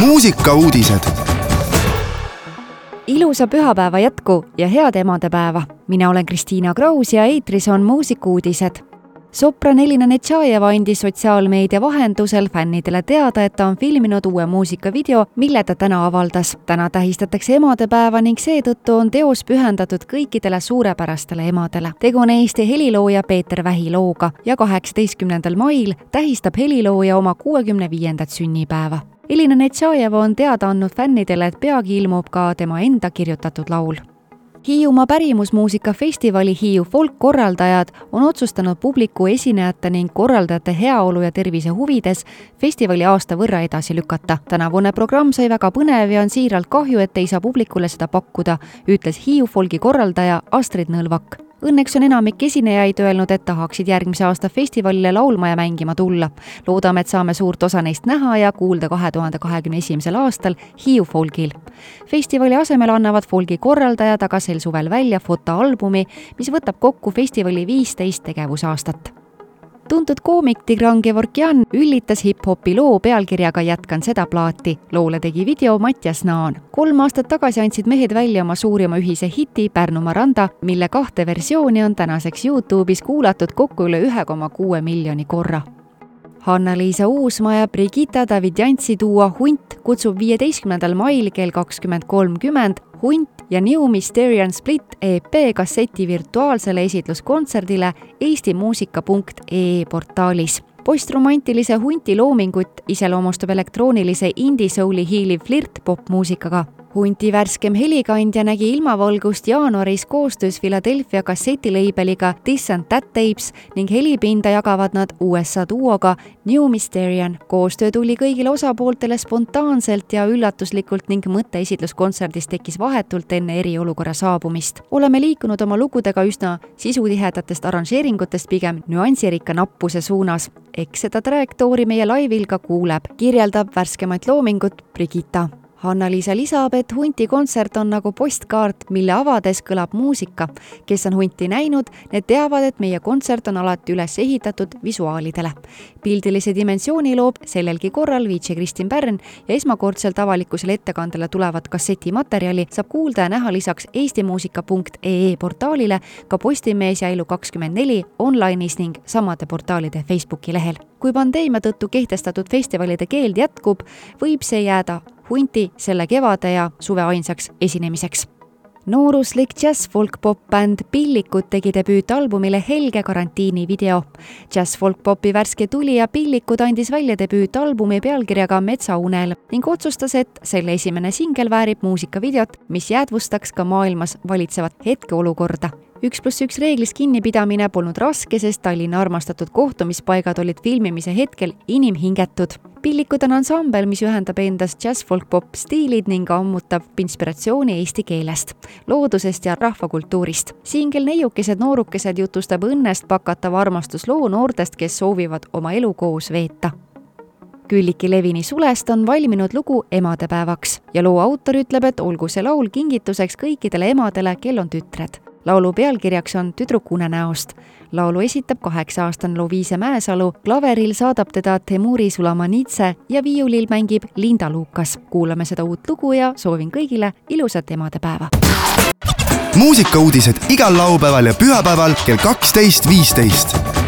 Muusikauudised. Ilusa pühapäeva jätku ja head emadepäeva. Mina olen Kristiina Kraus ja eetris on Muusikauudised. Sopran Elina Netšajeva andis sotsiaalmeedia vahendusel fännidele teada, et ta on filminud uue muusikavideo, mille ta täna avaldas. Täna tähistatakse emadepäeva ning seetõttu on teos pühendatud kõikidele suurepärastele emadele. Tegu on Eesti helilooja Peeter Vähi looga ja 18. mail tähistab helilooja oma 65. sünnipäeva. Elina Netšajeva on teada andnud fännidele, et peagi ilmub ka tema enda kirjutatud laul. Hiiumaa pärimusmuusikafestivali Hiiu Folk korraldajad on otsustanud publiku esinejate ning korraldajate heaolu ja tervise huvides festivali aasta võrra edasi lükata. Tänavune programm sai väga põnev ja on siiralt kahju, et ei saa publikule seda pakkuda, ütles Hiiu Folgi korraldaja Astrid Nõlvak. Õnneks on enamik esinejaid öelnud, et tahaksid järgmise aasta festivalile laulma ja mängima tulla. Loodame, et saame suurt osa neist näha ja kuulda 2021. aastal Hiiu Folgil. Festivali asemel annavad Folgi korraldajad aga sel suvel välja fotoalbumi, mis võtab kokku festivali 15 tegevusaastat. Tuntud koomik Tigran Gevorkjan üllitas hip-hopi loo pealkirjaga Jätkan seda plaati. Loole tegi video Mattias Naan. 3 aastat tagasi andsid mehed välja oma suurima ühise hiti Pärnumaa randa, mille 2 versiooni on tänaseks YouTube'is kuulatud kokku üle 1,6 miljoni korra. Hanna-Liisa Uusmaa ja Brigitta Davidjantsi duo Hunt kutsub 15. mail kell 20.30 Hunt ja New Mysterian Split EP kasseti virtuaalsele esitluskontserdile eestimuusika.ee portaalis. Postromantilise Hunti loomingut iseloomustab elektroonilise indie-souli hiiliv flirt popmuusikaga. Hunti värskem helikandja nägi ilmavalgust jaanuaris koostöös Philadelphia kassetileibeliga This and That Tapes ning helipinda jagavad nad USA duoga New Mysterian. Koostöö tuli kõigile osapooltele spontaanselt ja üllatuslikult ning mõte esitluskontserdis tekkis vahetult enne eriolukorra saabumist. Oleme liikunud oma lugudega üsna sisutihedatest arranžeeringutest pigem nüansirikka nappuse suunas. Eks seda trajektoori meie laivil ka kuuleb, kirjeldab värskemat loomingut Brigitta. Hanna-Liisa lisab, et Hunti kontsert on nagu postkaart, mille avades kõlab muusika. Kes on Hunti näinud, need teavad, et meie kontsert on alati üles ehitatud visuaalidele. Pildilise dimensiooni loob sellelgi korral VJ Kristin Pärn ja esmakordselt avalikkusele ettekandele tulevat kassetimaterjali saab kuulda ja näha lisaks eestimuusika.ee portaalile ka Postimees ja Elu24 online'is ning samade portaalide Facebooki lehel. Kui pandeemia tõttu kehtestatud festivalide keeld jätkub, võib see jääda Hunti selle kevade ja suve ainsaks esinemiseks. Nooruslik jazz-folk-pop-bänd Pillikud tegi debüütalbumile Helge karantiini video. Jazz-folk-popi värske tulija Pillikud andis välja debüütalbumi pealkirjaga Metsaunel ning otsustas, et selle esimene singel väärib muusikavideot, mis jäädvustaks ka maailmas valitsevat hetkeolukorda. 1+1 reeglist kinnipidamine polnud raske, sest Tallinna armastatud kohtumispaigad olid filmimise hetkel inimhingetud. Pillikud on ansambel, mis ühendab endas jazz-folk-pop stiilid ning ammutab inspiratsiooni eesti keelest, loodusest ja rahvakultuurist. Singel Neiukesed noorukesed jutustab õnnest pakatava armastusloo noortest, kes soovivad oma elu koos veeta. Külliki Levini Sulest on valminud lugu emadepäevaks ja loo autor ütleb, et olgu see laul kingituseks kõikidele emadele, kel on tütred. Laulu pealkirjaks on Tüdruk unenäost. Laulu esitab 8-aastane Loviise Mäesalu, klaveril saadab teda Temuri Sulamanitse ja viiulil mängib Linda Lukas. Kuulame seda uut lugu ja soovin kõigile ilusat emadepäeva. Muusikauudised igal laupäeval ja pühapäeval kell 12.15.